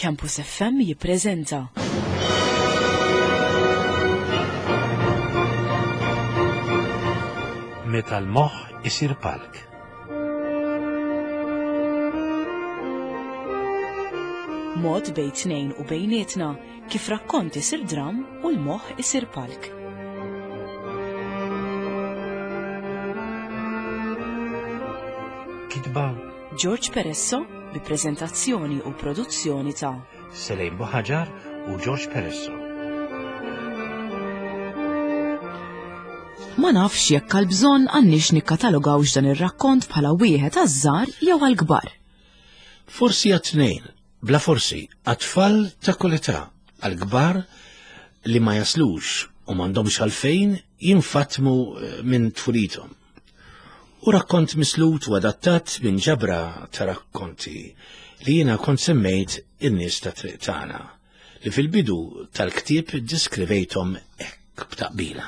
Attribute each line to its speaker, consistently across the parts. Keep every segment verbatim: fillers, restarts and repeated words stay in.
Speaker 1: Campus F M jippreżenta
Speaker 2: Meta l-moħħ isir palk.
Speaker 1: Mod bejn tnejn u bejnietna kif rakkont isir dram u l-moħħ isir palk.
Speaker 2: Kitba
Speaker 1: George Peresso bi preżentazzjoni u produzzjoni ta'
Speaker 2: Selejn Buħaġar u George Peresso.
Speaker 1: Ma nafx jekk għal bżonn għandniex nikkatalogawx dan ir-rakkont bħala wieħed għaż-żgħar jew għall-kbar.
Speaker 2: Forsi għat-tnejn, bla forsi, għat-tfal ta' kull età, għall-kbar li ma jaslux u m'għandhomx għalfejn jinfatmu minn tfulithom. U rakkont mislut u adattat minn ġabra ta' rakkonti li jiena kont semmejt in-nies ta' triq tagħna, li fil-bidu tal-ktieb diskrivejthom hekk b'taqbila.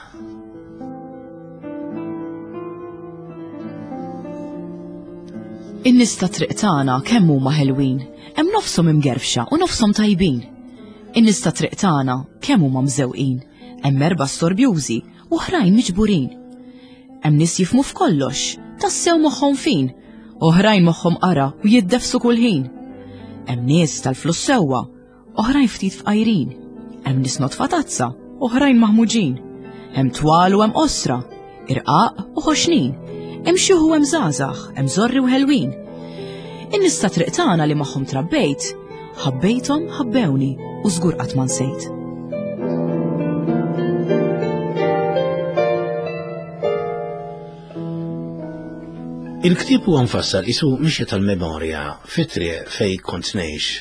Speaker 1: In-nies ta' triq tagħna kemm huma ħelwin, hemm nofshom imgerfxa u nofshom tajbin. In-nies ta' triq tagħna kemm huma mżewqin, hemm erba' storbjużi u oħrajn miġburin. Hemm nies jifhmu f'kollox, tassew moħħhom fin, oħrajn moħħhom qara u jiddefsu kull ħin. Hemm nies tal-flus sewwa, oħrajn ftit fqajrin. Hemm nies notfa tazza, oħrajn maħmuġin. Hemm twal u hemm qosra, irqaq u ħoxnin. Hemm xi hu hemm żgħażagħ, hemm żorri u ħelwin. In-nies ta' triq tagħna li magħhom trabbejt, ħabbejthom ħabbewni u żgur qatt ma nsejt.
Speaker 2: Il-ktieb huwa mfassal isu mixja tal-memorja fit-triq fej kont ngħix.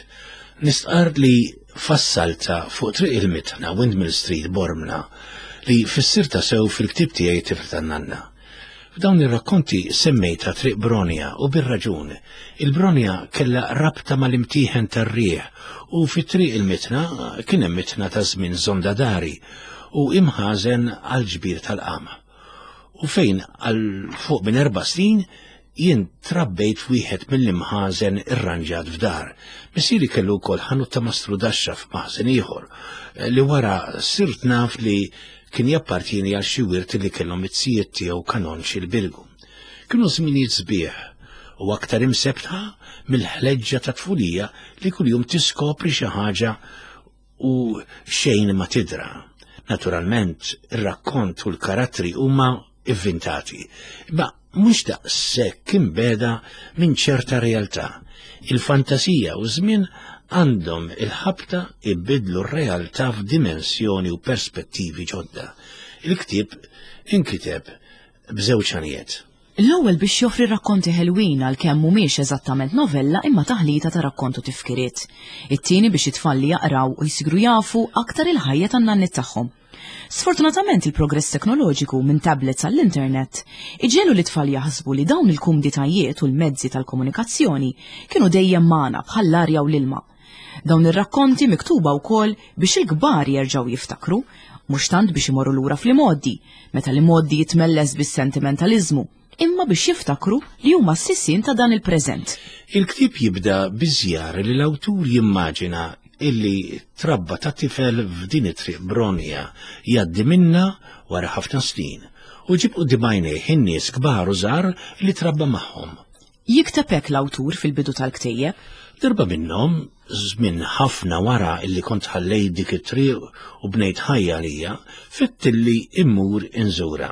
Speaker 2: Nistqarr li fassalta fuq triq il-Mitħna, Windmill Street, Bormla, li fissirta sew fil-ktieb tiegħi Tifel tan-Nanna. F'dawn ir-rakkonti semmejta triq Bronja u bir-raġun. Il-Bronja kellha rabta mal-imtieħen tar-riħ u fit-triq il-Mitħna kien hemm mitħna ta' żmien Zonda Dari u imħażen għal ġbir tal-qama. U fejn għal fuq minn erba' snin jien trabbejt wieħed mill-imħażen irranġat f'dar. Missieri kellu wkoll ħanut ta' mastru daxxa f'maħżen ieħor li wara sirt naf li kien jappartieni għal xi wirt li kellhom it-sijiet tiegħu kanonċi l-Birgu. Kienu żminijiet sbieħ u aktar imsebtħa mill-ħleġġa ta' tfulija li kuljum tiskopri xi ħaġa u xejn ma tidra. Naturalment, ir-rakkont u l-karattri huma ivvintati, imma mhux daqshekk imbeda minn ċerta realtà. Il-fantasija u żmien għandhom il-ħabta ibidlu r-realtà f'dimensjoni u perspettivi ġodda. Il-ktieb inkiteb b'żewġ għanijiet.
Speaker 1: L-ewwel biex joffri rakkonti ħelwin għalkemm mhumiex eżattament novella imma taħlita ta' rakkont u tifkiriet. It-tieni biex it-tfal li jaqraw u jsiru jafu aktar il-ħajja tan-nanniet tagħhom. Sfortunatament il-progress teknoloġiku minn tablets għall-internet iġelu li tfal jaħsbu li dawn il-kumditajiet u l-mezzi tal-komunikazzjoni kienu dejjem magħna bħall-arja u l-ilma. Dawn ir-rakkonti miktuba wkoll biex il-kbar jerġgħu jiftakru, mhux tant biex imorru lura fl-imgħoddi, meta l-imgħoddi jitmelles bis-sentimentaliżmu, imma biex jiftakru li huma s-sisien ta' dan il-preżent.
Speaker 2: Il-ktieb jibda biżjar li l-awtur jimmaġina illi trabba ta' tifel f'din it-triq Bronja jgħaddi minna wara ħafna snin u ġib quddiem għajnejh in-nies kbar u żgħar li trabba magħhom.
Speaker 1: Jikteb hekk l-awtur fil-bidu tal-ktejjeb.
Speaker 2: Darba minnhom, żmien ħafna wara illi kont ħallejt dik it-triq u bnejt ħajja għalija, fitt illi immur inżura.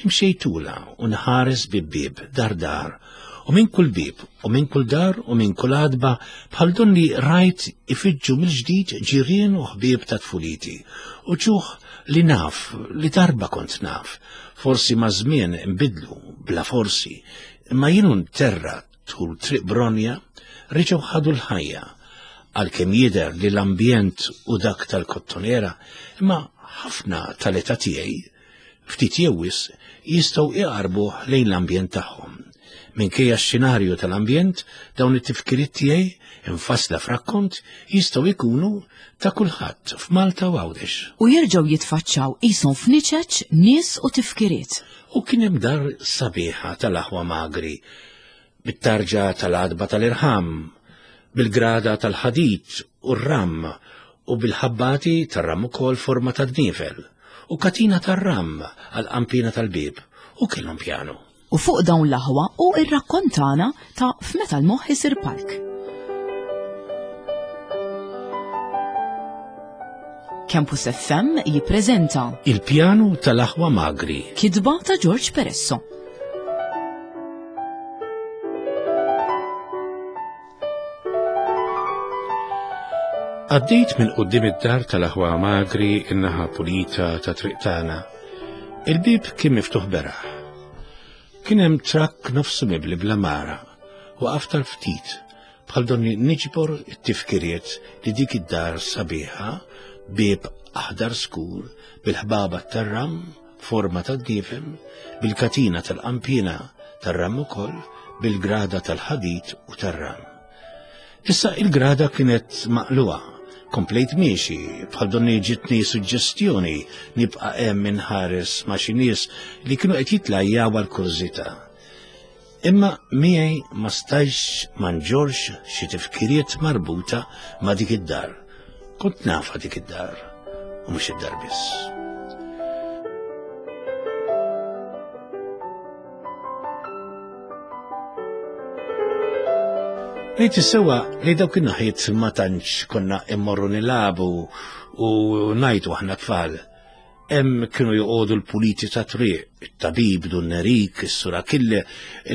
Speaker 2: Imxejtula u nħares bib-bib, dar dar, u minn kull bib, u minn kull dar, u minn kull għadba, bħal donni rajt ifiġġu mill-ġdid ġirien u ħbieb ta' tfuliti, u ċuħ li naf, li darba kont naf, forsi ma' żmien imbidlu, bla forsi, imma jienu nterra tul triq Bronja, reġgħu ħadu l-ħajja, għalkemm jidher li l-ambjent u dak tal-kottonera, imma ħafna tal-età tiegħi, ftit jew wisq, jistgħu iqarbuh lejn l-ambjent tagħhom. Minkejja x-xenarju tal-ambjent, dawn it-tifkiriet tiegħi infassla f'rakkont jistgħu jkunu ta' kulħadd f'Malta u Għawdex.
Speaker 1: U jerġgħu jitfaċċaw qishom f'niċeċ nies u tifkiriet.
Speaker 2: U kien hemm dar sabiħa tal-aħwa magri, bit-tarġa tal-għadba tal-irħam, bil-grada tal-ħadid u r-ram u bil-ħabbati tar-ram ukoll forma ta' dnifel u katina tar-ram għal-qampina tal-bieb u kellhom pjanu.
Speaker 1: U fuq dawn l-aħwa u ir-rakkontana ta' f'meta l-moħħ isir palk. Campus F M jippreżenta
Speaker 2: Il-pjanu tal-aħwa Magri,
Speaker 1: kitba ta' George Peresso.
Speaker 2: Għaddejt minn quddiem id-dar tal-aħwa Magri in-naħa pulita ta' triq tagħna. Il-bieb kien miftuħ beraħ. Kien hemm trakk nofsu mibli bla mara. Waqaf tal-ftit bħal donni niġbor it-tifkiriet li dik id-dar sabiħa, bieb aħdar skur, bil-ħbaba tar-ram, forma ta' dnifem, bil-katina tal-qampina tar-ram ukoll, bil-grada tal-ħadid u tar-ram. Issa il-grada kienet maqluha, komplejt miexi, bħal donni ġitni suġġestjoni nibqa' hemm inħares ma' xi nies li kienu qed jitlajjaw għall-kurżità. Imma miegħi ma stajx ma nġorx xi tifkiriet marbuta ma' dik id-dar. Kont nafha dik id-dar, u mhux id-dar biss. Ngħid is-sewwa li dawk in-naħiet ma tantx konna immorru nilagħbu u ngħidu aħna tfal. Hemm kienu joqogħdu l-puliti ta' triq, it-tabib Dun Nerik, is-Sur Achille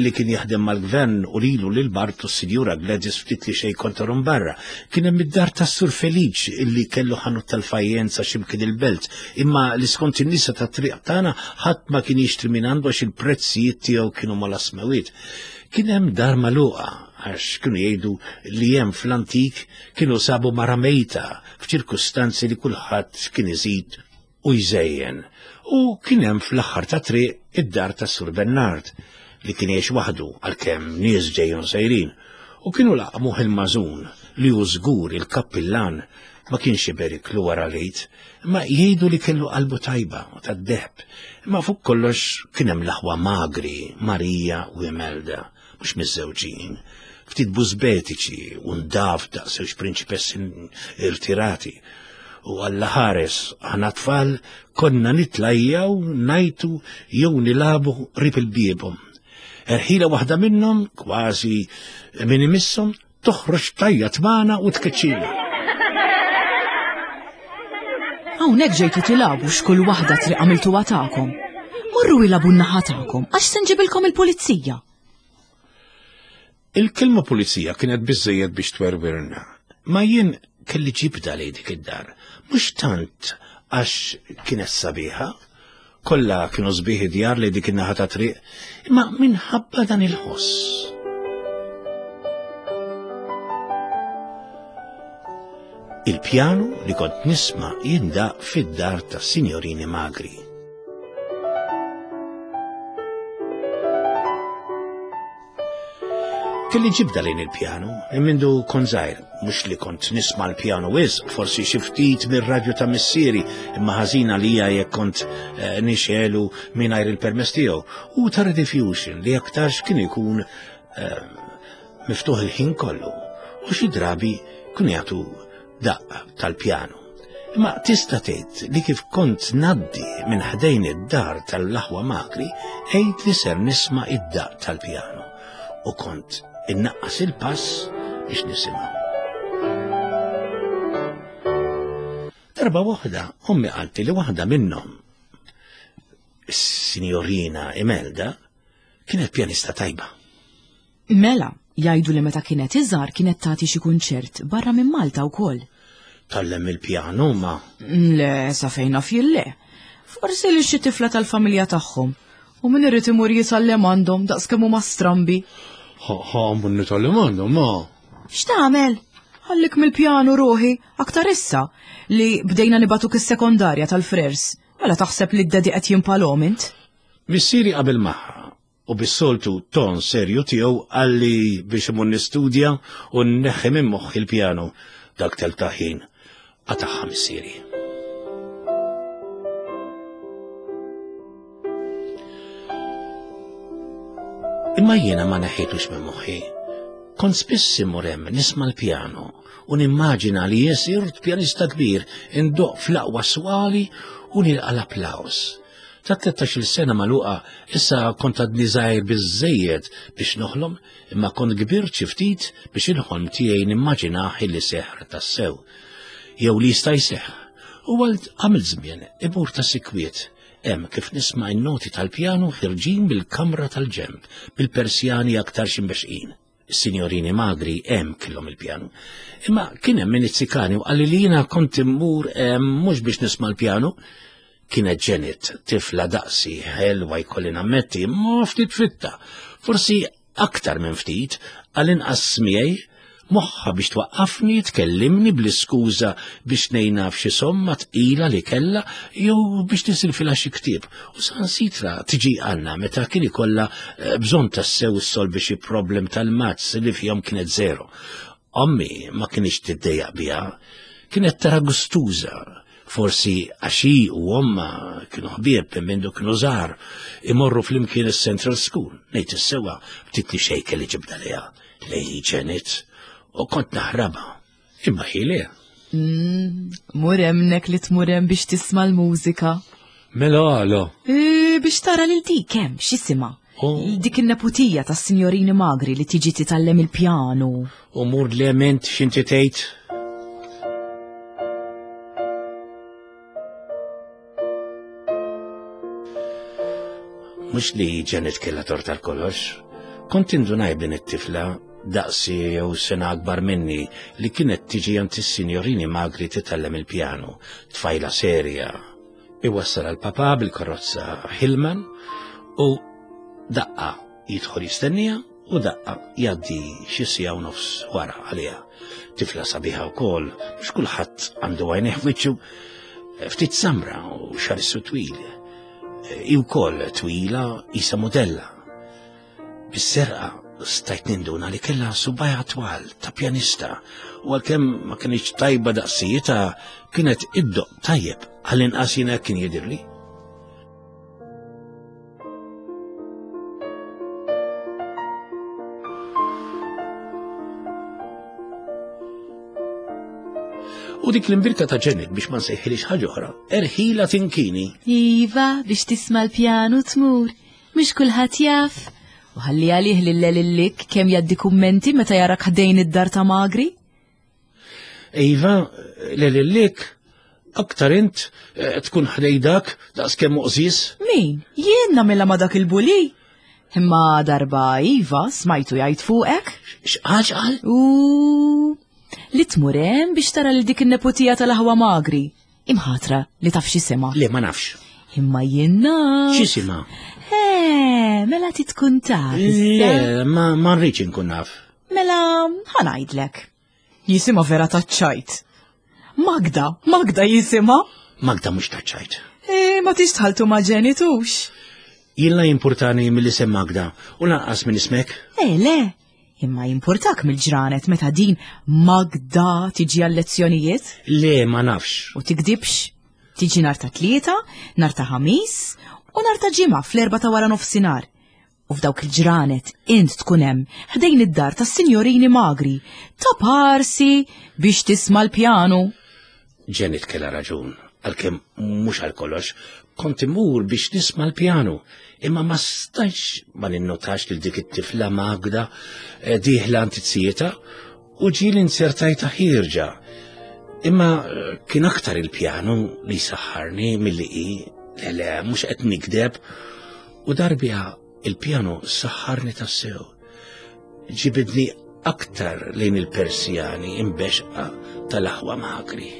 Speaker 2: li kien jaħdem mal-gvern u lilu lil Bartu s-Sinjura Gladys ftit li xejn kontorhom barra. Kien hemm id-dar tas-Sur Feliċ illi kellu ħanut tal-fajjenza x'imkien il-belt, imma li skont in-nisa tat-triq tagħna ħadd ma kien jixtri minn għandu għax il-prezzijiet tiegħu kienu mal-asmewiet. Kien hemm dar magħluqa għax kienu jgħidu li hemm fl-antik kienu sabu mara mejta f'ċirkustanzi li kulħadd kien iżid u jżejjen. U kien hemm fl-aħħar ta' triq id-dar ta' Sur Bernard li kien jgħix waħdu għalkemm nies ġejjin sejrin. U kienu laqmuh il-mażun li hu żgur il-kappillan ma kienx iberiklu wara l-Għid, imma jgħidu li kellu qalbu tajba u tad-deheb. Imma fuq kollox kien hemm l-aħwa Magri, Marija u Imelda, mhux miżżewġin, ftit bużbetiċi u ndaf daqs prinċipessi irtirati. U Alla ħares, aħna tfal konna nitlajjaw, ngħajtu jew nilagħbu qrib il-biebhom. Erħila waħda minnhom, kważi min imisshom, toħroġ tajjat magħna u tkeċċina.
Speaker 1: Hawnhekk ġejtu tilagħbu x'kull waħda triq għamiltuha tagħkom. Morru ilagħbu n-naħa tagħkom għax se nġibilkom il-pulizija.
Speaker 2: Il-kelma pulizija kienet biżżejjed biex twerwirna. Ma jien kelli ġibda lejn dik id-dar, mhux tant għax kienet sabiħa, kollha kienu sbieħ djar lejn dik in-naħa ta' triq, imma minħabba dan il-ħoss. Il-pjanu li kont nisma' jindaq fid-dar ta' Signorini Magri. Kelli ġibda lejn il-pjanu, mindu kont żgħir, mhux li kont nisma' l-pjanu wisq, forsi xi ftit mir-radju ta' missieri, imma ħażina lija jekk kont, eh, nixelu mingħajr il-permess tiegħu, u ta' Rediffusion li aktarx kien ikun, eh, miftuħ il-ħin kollu, u xi drabi kienu jagħtu daqq tal-pjanu. Imma tista' tgħid li kif kont ngħaddi minn ħdejn id-dar tal-aħwa Magri, għidt li ser nisma' id-daqq tal-pjanu, u kont innaqqas il-pass biex nisimgħu. Darba waħda, ommi qalti li waħda minnhom, is-Sinjorina Imelda, kienet pjanista tajba.
Speaker 1: Mela, jgħidu li meta kienet iżgħar kienet tagħti xi kunċert barra minn Malta wkoll.
Speaker 2: Tgħallem il-pjanu ma?
Speaker 1: Le, sa fejn naf jien le. Forsi li xi tifla tal-familja tagħhom. U min irid imur jitgħallem għandhom daqs kemm huma strambi.
Speaker 2: Ha, ha, mun nitgħallem għandhom, ma.
Speaker 1: X'tagħmel? Ħallik mill-pjanu ruħi, aktar issa li bdejna nibatuk is-sekondarja tal-frers. Mela taħseb li d-dedi qed jimpalhom int?
Speaker 2: Missieri qabel magħha u bis-soltu ton serju tiegħu qalli biex imur nistudja u nneħħi minn moħħi l-pjanu dak tal-taħin. Qataħħa missieri. Imma jiena ma neħħitux minn moħħi. Kont spiss immur hemm nisma' l-pjano u nimmaġina li jien sirt pjanista kbir indoqq fl-aqwa swali u nilqa' l-applaws. Ta' tlettax-il sena magħluqa issa kont għadni żgħir biżżejjed biex noħlom, imma kont kbirt xi ftit biex il-ħolm tiegħi nimmaġinah illi seħħ tassew. Jew li jista' jseħħ. U għal għamil żmien imur ta' sikwiet hemm kif nisma' n-noti tal-pjanu ħirġin bil-kamra tal-ġenb, bil-Persjani aktar ximbexqin. Is-sinjorini magri hemm kellhom il-pjanu. Imma kien hemm min izzikani u qalli li jiena kont immur hemm mhux biex nisma' l-pjanu. Kienet Janet, tifla daqsi, ħelwa jkolli nammetti, imma ftit fitta. Forsi aktar minn ftit, għall-inqas miegħi, moħħha biex twaqqafni, tkellimni bl-iskuża biex ngħinha f'xi somma tqila li kellha jew biex nisilfilha xi ktieb. U sansitra tiġi għandna meta kien ikollha bżonn tassew issolvi xi problem tal-mazz li fihom kienet zero. Ommi ma kienx tiddejjaq biha, kienet tara gustuża. Forsi għax hi u omma kienu ħbieb minn mindu kienu żgħar, imorru flimkien is-Central School. Ngħid is-sewwa ftit li xejn kelli ġibda lejha, lej Janet, u kont naħrabha. Imma hi le.
Speaker 1: Mm, mur hemmhekk li tmur hemm biex tisma' l-mużika.
Speaker 2: Mela għala?
Speaker 1: E, biex tara lil dik hemm x'isimha.
Speaker 2: Oh.
Speaker 1: Dik in-neputija tas-sinjorini magri li tiġi titgħallem il-pjanu.
Speaker 2: U mur l-ement x'inti tgħid? Mhux li Janet kellha tort għal kollox. Kont indunaj b'din it-tifla daqsi jew sena akbar minni li kienet tiġi għand is-sinjorini magri titgħallem il-pjanu, tfajla serja. Iwassal għal papà bil-karozza Hillman u daqqa jidħol jistennija u daqqa jgħaddi xi siegħa u nofs wara għaliha. Tifla sabiħa wkoll, mhux kulħadd għandu għajnejh f'wiċċu, ftit samra u xarissu twil. Hi wkoll twila isa modella. Bis-serqa stajt ninduna li kellha subajha twal ta' pjanista u għalkemm ma kienx tajba daqsijita kienet iddoq tajjeb għall-inqas jiena kien jidhirli. U dik l-imbirka ta' Janet biex ma nsejħilix ħaġa oħra, erħila tinkini.
Speaker 1: Iva, biex tisma' l-pjanu tmur, mhux kulħadd jaf. U ħalli għalih lil lillik kemm jgħaddi kummenti meta jarak ħdejn id-dar ta' magri.
Speaker 2: Iva, lillik, aktar int eh, tkun ħdej dak daqs kemm uqżis.
Speaker 1: Min? Jien nagħmilha ma' dak il-buli. Imma darba Iva smajtu jgħid fuqek.
Speaker 2: X'qal x'qal?
Speaker 1: U li tmur hemm biex tara lil dik in-neputija tal-aħwa magri. Imħatra li taf x'isimha.
Speaker 2: Le ma nafx.
Speaker 1: Imma jien naf.
Speaker 2: X'isimha?
Speaker 1: Eh, mela ti tkun taf.
Speaker 2: Le, ma ma rridx inkun naf.
Speaker 1: Mela ħa ngħidlek. Jisimha vera taċ-ċajt. Magda, Magda jisimha.
Speaker 2: Magda mhux taċ-ċajt.
Speaker 1: Eh, ma tix tħaltu ma' ġenitux.
Speaker 2: Jien la jimpurtani mill-isem Magda u lanqas minn ismek.
Speaker 1: Eh, le. Imma jimpurtak mill-ġranet meta din Magda tiġi għal-lezzjonijiet?
Speaker 2: Le, ma nafx.
Speaker 1: U tikdibx. Tiġi nar ta' tlieta, nar ta' ħamis u nar ta' ġimgħa fl-erba' ta' wara nofsinhar. U f'dawk il-ġranet int tkun hemm ħdejn id-dar tas-sinjorini magri ta' parsi biex tisma' l-pjanu.
Speaker 2: Janet kellha raġun, għalkemm mhux għal kollox, kont imur biex nisma' l-pjanu, imma ma stajtx ma ninnotax lil dik it-tifla Magda eh, dieħla antizijieta u ġieli nsertajta ħierġa. Imma eh, kien aktar il-pjanu li saħħarni milli hi, le le, mhux qed nikdeb, u darbija il-pjanu saħħarni tassew. Ġibidni aktar lejn il-Persjani imbexqa tal-aħwa magri.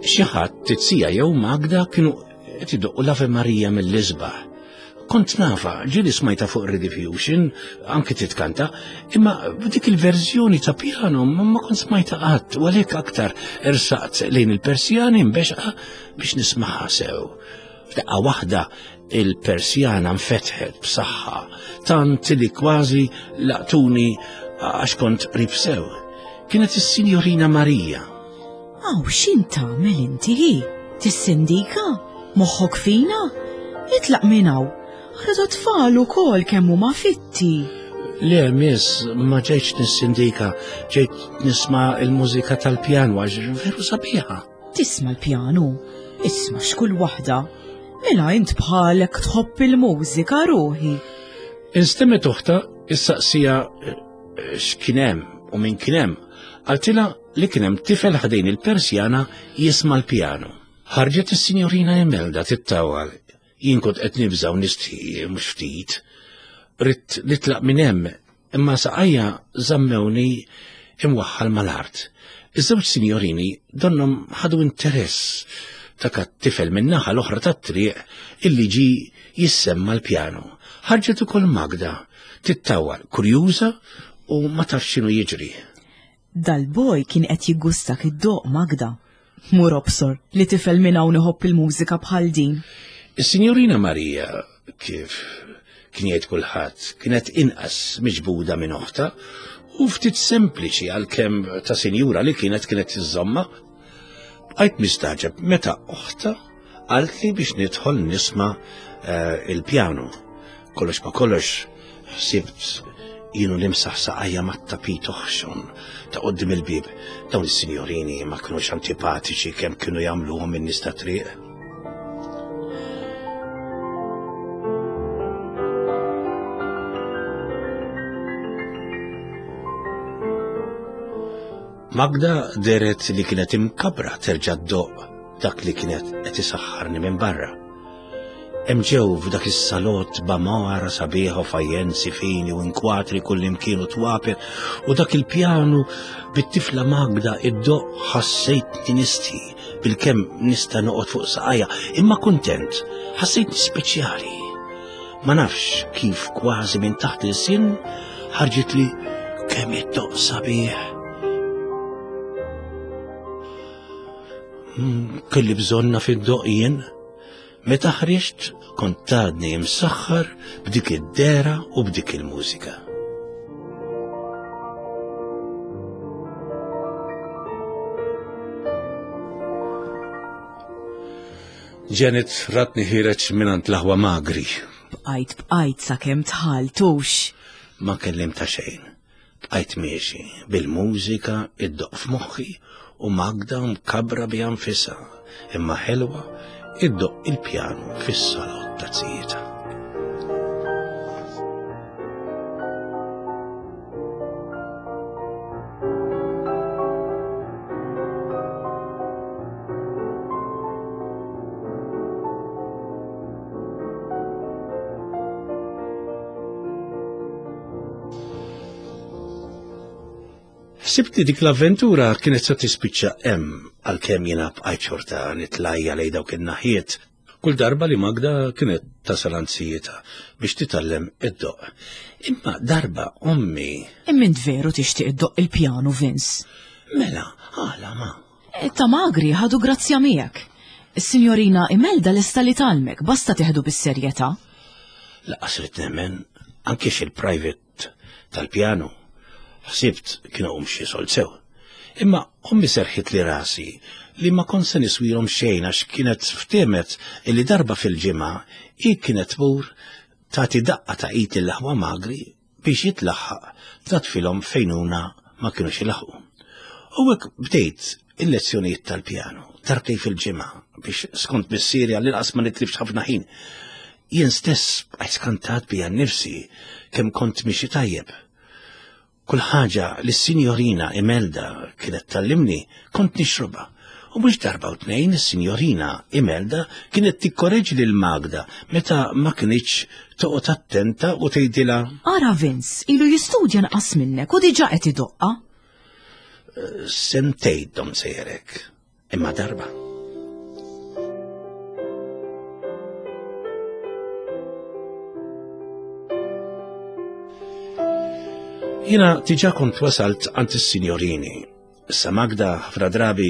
Speaker 2: Xi ħadd tizzija jew Magda kienu qed idoqqu l-Ave Maria mill-isbaħ. Kont nafa, ġieli smajta fuq Rediffusion, anki titkanta, imma dik il-verżjoni ta' piano ma ma kont smajta qatt, u għalhekk aktar ersaqt lejn il-Persjani mbexqa biex nismaħha sew. F'daqqa waħda Il-persjana nfetħet b'saħħa, tant li kważi laqtuni għax kont qrib sew. Kienet is-Sinjorina Marija.
Speaker 1: Aw, x'int tagħmel inti hi? Tissindika? Moħħok fina? Itlaq minn hawn. Ara tfal ukoll kemm huma fitti.
Speaker 2: Le, miss, ma ġejtx nissindika, ġejt nisma' il-mużika tal-pjanu għax veru sabiħa.
Speaker 1: Tisma' l-pjanu? Isma' x'kull waħda. Mela int bħalek tħobb il-mużika ruħi.
Speaker 2: Instemmet uħta issaqsija eh, x'kien hemm u min kien hemm. Qaltilha li kien hemm tifel ħdejn il-persjana jisma' l-pjanu. Ħarġet is-Sinjorina Imelda tittawal. Jien kont qed nibża' u nistħi mhux ftit. Ridt nitlaq minn hemm, imma saqajja żammewni imwaħħal mal-art. Iż-żewġ sinjorini donnhom ħadu interess ta' tifel min-naħa l-oħra tat-triq illi ġi jissemma l-pjanu. Ħarġet ukoll Magda, tittawal, kurjuża u ma tafx x'inhu jiġri.
Speaker 1: Dal-boj kien qed jiggustak id-doq Magda. Mur obsor li tifel minn hawn iħobb il-mużika bħal din.
Speaker 2: Is-Sinjorina Marija, kif kien jgħid kulħadd, kienet inqas miġbuda minn oħta u ftit sempliċi għalkemm ta' sinjura li kienet kienet iżżomma. Bqajt mistaġeb meta oħta qaltli biex nidħol nisma' eh, il-pjanu. Kollox ma kollox ħsibt jienu nimsaħ saqajja mat-tapit oħxon ta' qoddim il-bib. Dawn is-sinjorini ma kinux antipatiċi kemm kienu jagħmluhom in-nies ta' triq. Magda deret li kienet imkabra terġa' ddoq dak li kienet qed isaħħarni minn barra. Hemm ġew f'dak is-salott b'għamara sabiħa u fajjenzi fini u inkwatri kullimkien u twaper u dak il-pjanu bit-tifla Magda iddoq ħassejtni nistħi bilkemm nista' noqgħod fuq saqajja, imma kuntent, ħassejtni speċjali. Ma nafx kif kważi minn taħt il-sin ħarġit li kemm iddoq sabiħ. Kelli bżonna fid-doq jien. Meta ħriġt kont għadni imsaħħar b'dik id-dera u b'dik il-mużika. Janet ratni ħireġ mingħand l-aħwa magri.
Speaker 1: Bqajt bqajt sakemm tħaltux.
Speaker 2: Ma kellimta xejn. Bqajt miexi bil-mużika iddoq f'moħħi u Magda mkabra bi anfisha, imma ħelwa iddoq il-pjanu fis-salott ta' zijietha. Ħsibt li dik l-avventura kienet se tispiċċa hemm għalkemm jiena bqajt xorta nitlajja lejn dawk in-naħiet kull darba li Magda kienet tasal għand zijietha biex titgħallem id-doq. Imma darba ommi.
Speaker 1: Imma int veru tixtieq iddoq il-pjanu, Vince?
Speaker 2: Mela, għala ma.
Speaker 1: E, ta' magri ħadu grazzja miegħek. Is-Sinjorina Imelda lesta li tgħallmek, basta teħdu bis-serjetà.
Speaker 2: Laqas rid nemmen anke xil-private tal-pjanu. Ħsibt kien hawn xi sold sew. Imma ommi serħit li rasi li ma kont se niswilhom xejn għax kienet ftehmet illi darba fil-ġimgħa hi kienet tmur tagħti daqqa ta' id lill-aħwa magri biex jitlaħħaq tnatfilhom fejnuna ma kinux ilaħqu. U hekk bdejt il-lezzjonijiet tal-pjanu darbtejn fil-ġimgħa biex skont missieri għall-inqas ma nitlifx ħafna ħin. Jien stess bqajt skantat bija nnifsi kemm kont mixi tajjeb. Kull ħaġa li s-Sinjorina Imelda kienet tallimni kont nixrobha. U mhux darba u tnejn is-Sinjorina Imelda kienet tikkoreġi lil Magda meta ma kinitx toqgħod attenta u tgħidilha:
Speaker 1: Ara Vince, ilu jistudja nqas minnek u diġà qed idoqqa.
Speaker 2: Sentejn dom sejjerek, imma darba. Jiena diġà kont wasalt għand is-sinjorini. Issa Magda ħafna drabi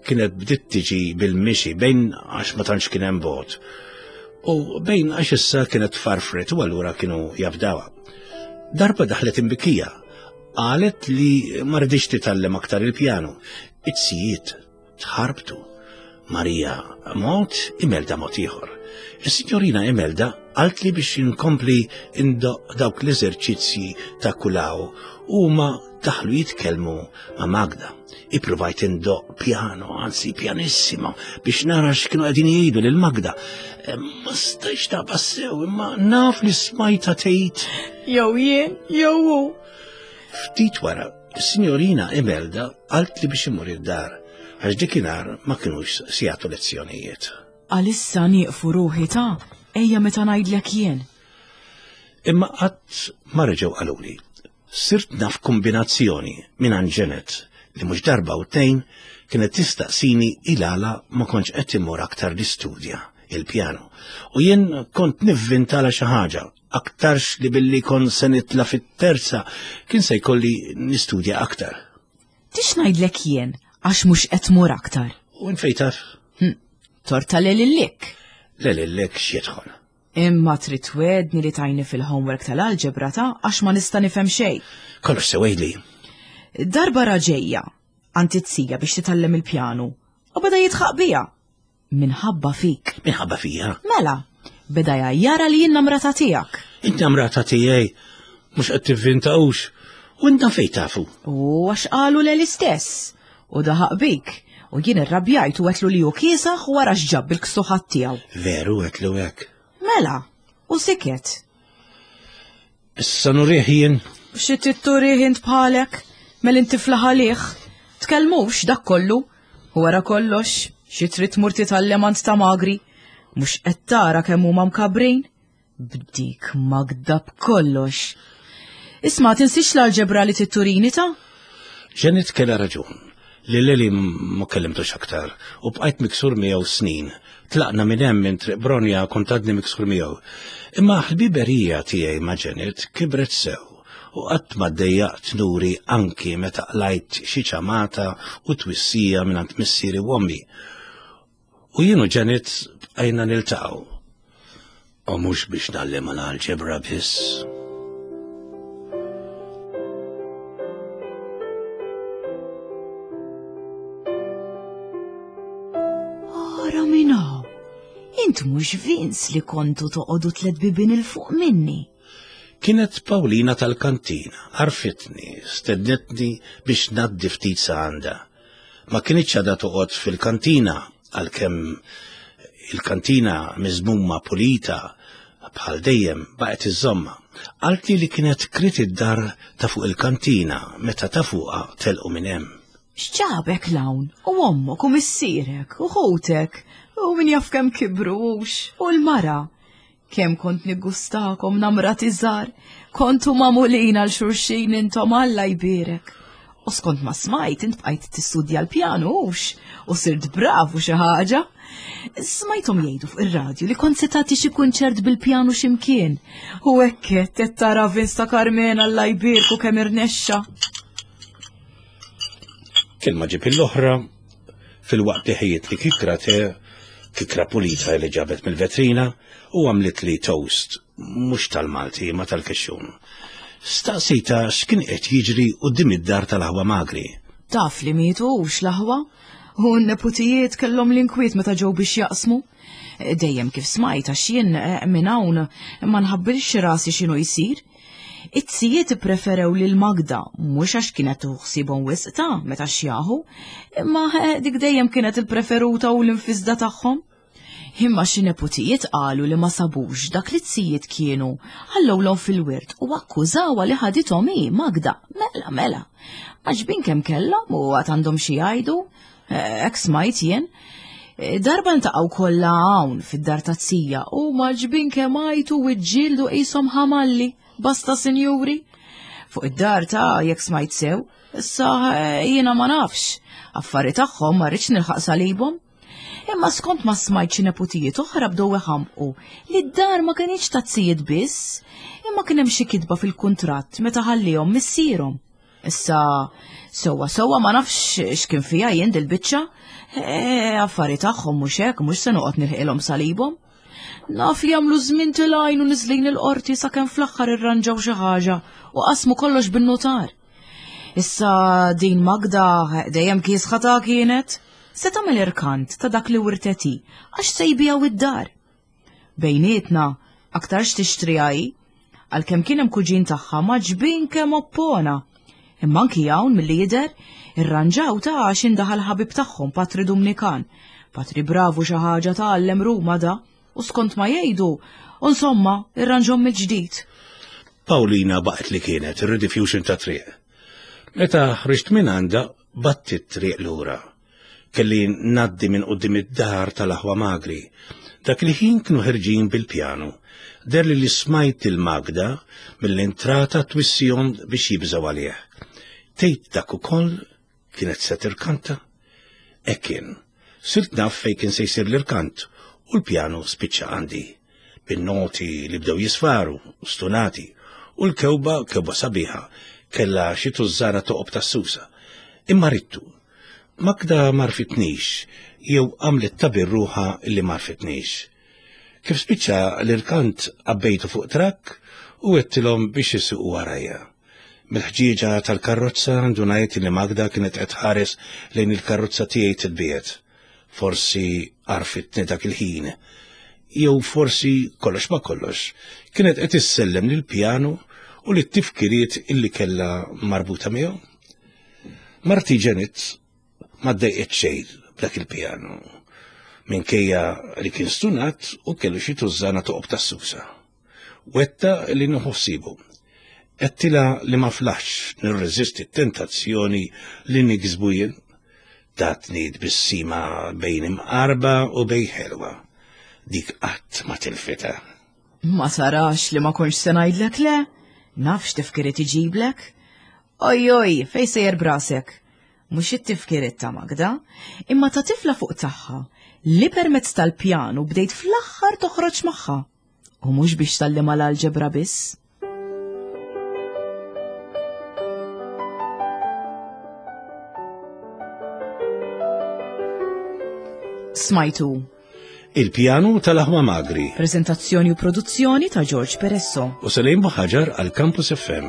Speaker 2: kienet bdiet tiġi bil-mixi bejn għax ma tantx kien hemm bogħod. U bejn għax issa kienet farfret u allura kienu jafdawha. Darba daħlet imbikija. Qalet li ma rridx titgħallem aktar il-pjanu. It-sijiet tħarbtu. Marija mod, Imelda mod ieħor. Is-signorina Imelda qaltli biex inkompli indoq dawk l-eżerċizzji ta' kulaw u ma daħlu jitkellmu ma' Magda. Ippruvajt indoq piano, anzi pianissimo, biex nara x'kienu qegħdin jgħidu lil Magda. Ma stajx ta' sew, imma naf li smajta tgħid.
Speaker 1: Jew jien, jew hu.
Speaker 2: Ftit wara, is-signorina Imelda qaltli biex imur id-dar, għax dikinhar ma kinux se jagħtu lezzjonijiet.
Speaker 1: Għalissa nieqfu ruħi ta' ejja meta ngħidlek jien.
Speaker 2: Imma qatt ma reġgħu qaluli. Sirt naf kombinazzjoni minn Janet li mhux darba u tnejn kienet tistaqsini il-għala ma kontx qed immur aktar l-istudja il-pjano. U jien kont nivvintala xi ħaġa, aktarx li billi kont se nitla fit-terza kien se jkolli nistudja aktar.
Speaker 1: Tix ngħidlek jien għax mhux qed tmur aktar.
Speaker 2: U infej taf?
Speaker 1: Hm, torta lelillik.
Speaker 2: Lelillik x'jidħol.
Speaker 1: Imma trid twedni li tajni fil-homework tal-alġebra ta' għax ma nista' nifhem xejn.
Speaker 2: Kollox sewejli.
Speaker 1: Darba raġejja għand it-tija biex titgħallem il-pjanu u beda jitħaq bija. Minħabba fik.
Speaker 2: Minħabba fija?
Speaker 1: Mela, beda jgħajjara li jien namrata tiegħek.
Speaker 2: Int namrata tiegħi, mhux qed tivvintawx. U inta fejn tafu?
Speaker 1: U għax qalu leli stess. U daħaq bik. U jien irrabjajt u għetlu li hu kiesaħ wara x'ġab il-ksuħat tiegħu.
Speaker 2: Veru għetlu hekk.
Speaker 1: Mela, u siket.
Speaker 2: Issa nurih jien.
Speaker 1: Xi titturih int bħalek, mel inti flaħalih. Tkellmux dak kollu. U wara kollox, xi trid tmur titgħallem għand ta' magri. Mhux qed tara kemm huma mkabrin? B'dik Magda b'kollox. Isma' tinsiex l-alġebra li titturini ta'?
Speaker 2: Janet kellha raġun. Li Leli ma kellimtux aktar u bqajt miksur miegħu snin. Tlaqna minn hemm minn Triq Bronja kont għadni miksur miegħu. Imma ħbiberija tiegħi ma' Janet kibret sew u qatt ma ddejjaqt nuri anki meta qlajt xi ċamata u twissija mingħand missieri u ommi. U jien u Janet bqajna niltaqgħu. U mhux biex nagħllimha l-alġebra biss.
Speaker 1: Int mhux Vince li kontu toqogħdu tliet bibien il fuq minni.
Speaker 2: Kienet Paulina tal-kantina, għarfitni, stednetni biex ngħaddi ftit sa għandha. Ma kinitx għadha toqgħod fil-kantina, għalkemm il-kantina miżmuma pulita bħal dejjem baqgħet iżomma. Qaltli li kienet krit id-dar ta' fuq il-kantina meta ta' fuqha telqu minn hemm.
Speaker 1: X'ġabek l-hawn? U ommok u missierek u ħutek u min jaf kemm kibrux u l-mara. Kemm kont niggustakom namrati żgħar, kontu magħmulin għal xulxin intom Alla jbierek. U skont ma smajt int bqajt tistudja l-pjanu hux u sirt bravu xi ħaġa. Smajthom jgħidu fuq ir-radju li kont se tagħti xi kunċert bil-pjanu x'imkien. U hekk qed tara Vince ta' Carmen Alla jbierku kemm irnexxa.
Speaker 2: Kelma ġib l-oħra, fil-waqt li ħejjit li kikra te, kikra pulita li ġabet mill-vetrina u għamlit li toast, mhux tal-Malti ma tal-kexxun. Staqsejta x'kien qed jiġri quddiem id-dar tal-aħwa Magri.
Speaker 1: Taf li mietu hux l-aħwa, u n-neputijiet kellhom l-inkwiet meta ġew biex jaqsmu. Dejjem kif smajt għax jien minn hawn ma nħabbilx rasi x'inhu jsir. It-sijiet ippreferew lil Magda, mhux għax kienet tuħsibhom wisq ta' meta xjaħu, imma dik dejjem kienet il-preferuta u l-infisda tagħhom. Imma xi neputijiet qalu li ma sabux dak li t-sijiet kienu ħallowlhom fil-wirt u akkużawha li ħadithom hi Magda. Mela, mela. Għaġbin kemm kellhom u għad għandhom xi jgħidu, hekk smajt jien. Darba ntaqgħu kollha hawn fid-dar tat-tija u maġbin kemm għajtu u ġġieldu qishom ħamalli. Basta sinjuri. Fuq id-dar ta' jekk smajt sew, issa jiena ma nafx. Affari tagħhom ma rridx nilħaq salibhom. Imma skont ma smajt xi neputijiet oħra bdew iħamqu li d-dar ma kinitx tazzijiet biss, imma kien hemm xi kitba fil-kuntratt meta ħallihom missierhom. Issa sewwa sewwa ma nafx x'kien fiha jien dil-biċċa. Affari tagħhom mhux hekk, mhux se noqgħod nilħqilhom salibhom. Naf li għamlu żmien tilgħin u niżlin il-qorti sakemm fl-aħħar irranġaw xi ħaġa u qasmu kollox bin-notar. Issa din Magda dejjem kiesħa ta' kienet, se tagħmel irkant ta' dak li wirtet hi għax se jbiegħu id-dar. Bejnietna aktarx tixtriha hi, għalkemm kien hemm kuġin tagħha maġbin kemm oppona. Imma anki hawn milli jidher irranġaw ta' għax indaħal ħabib tagħhom Patri Dumnikan. Patri bravu xi ħaġa tgħallem Ruma da, u skont ma jgħidu, u insomma, irranġhom mill-ġdid.
Speaker 2: Paulina baqgħet li kienet ir-rediffusion ta' triq. Meta ħriġt minn għandha, batti t-triq lura. Kelli ngħaddi minn quddiem id-dar tal-aħwa Magri. Dak il-ħin kienu ħerġin bil-pjanu. Deherli li smajt il-Magda mill-entrata twissihom biex jibżgħu għalih. Tgħid dak ukoll kienet se tirkanta? Hekk kien. Sirt naf fejn kien se jsir l-irkant u l-pjanu spiċċa għandi. Bin-noti li bdew jisfaru, stunati, u l-kewba, kewba sabiħa, kellha xi tużżana toqob tas-susa. Imma rittu. Magda m'għarfitnix, jew għamlet ta' birruħa li m'għarfitnix. Kif spiċċa l-irkant għabbejtu fuq trakk u għedtilhom biex isuqu warajja. Mill-ħġieġa tal-karozza ndunajt li Magda kienet qed tħares lejn il-karozza tiegħi titbiegħed. Forsi għarfitni dak il-ħin, jew forsi kollox ma kollox, kienet qed issellem lill-pjanu u lit-tifkiriet illi kellha marbuta miegħu. Marti Janet ma ddejqet xejn b'dak il-pjanu, minkejja li kien stunat u kellu xi tużżana toqob tas-susa. Wetta li nieħu ħsiebu. Għedtilha li ma flaħx nirreżisti t-tentazzjoni li niksbu jien. Tatni tbissima bejn imqarba u bejn ħelwa. Dik qatt ma tilfitha.
Speaker 1: Ma tarax li ma kontx se ngħidlek le? Naf x'tifkiriet iġiblek? Oj oj, fejn sejjer brasek? Mhux it-tifkiriet ta' Magda, imma ta' tifla fuq tagħha li permezz tal-pjanu bdejt fl-aħħar toħroġ magħha. U mhux biex tgħallimha l-alġebra biss. Smajtu
Speaker 2: Il-pjanu tal-aħwa Magri.
Speaker 1: Prezentazzjoni u produzzjoni ta' George Peresso.
Speaker 2: U Salim Buħaġar għal Campus F M.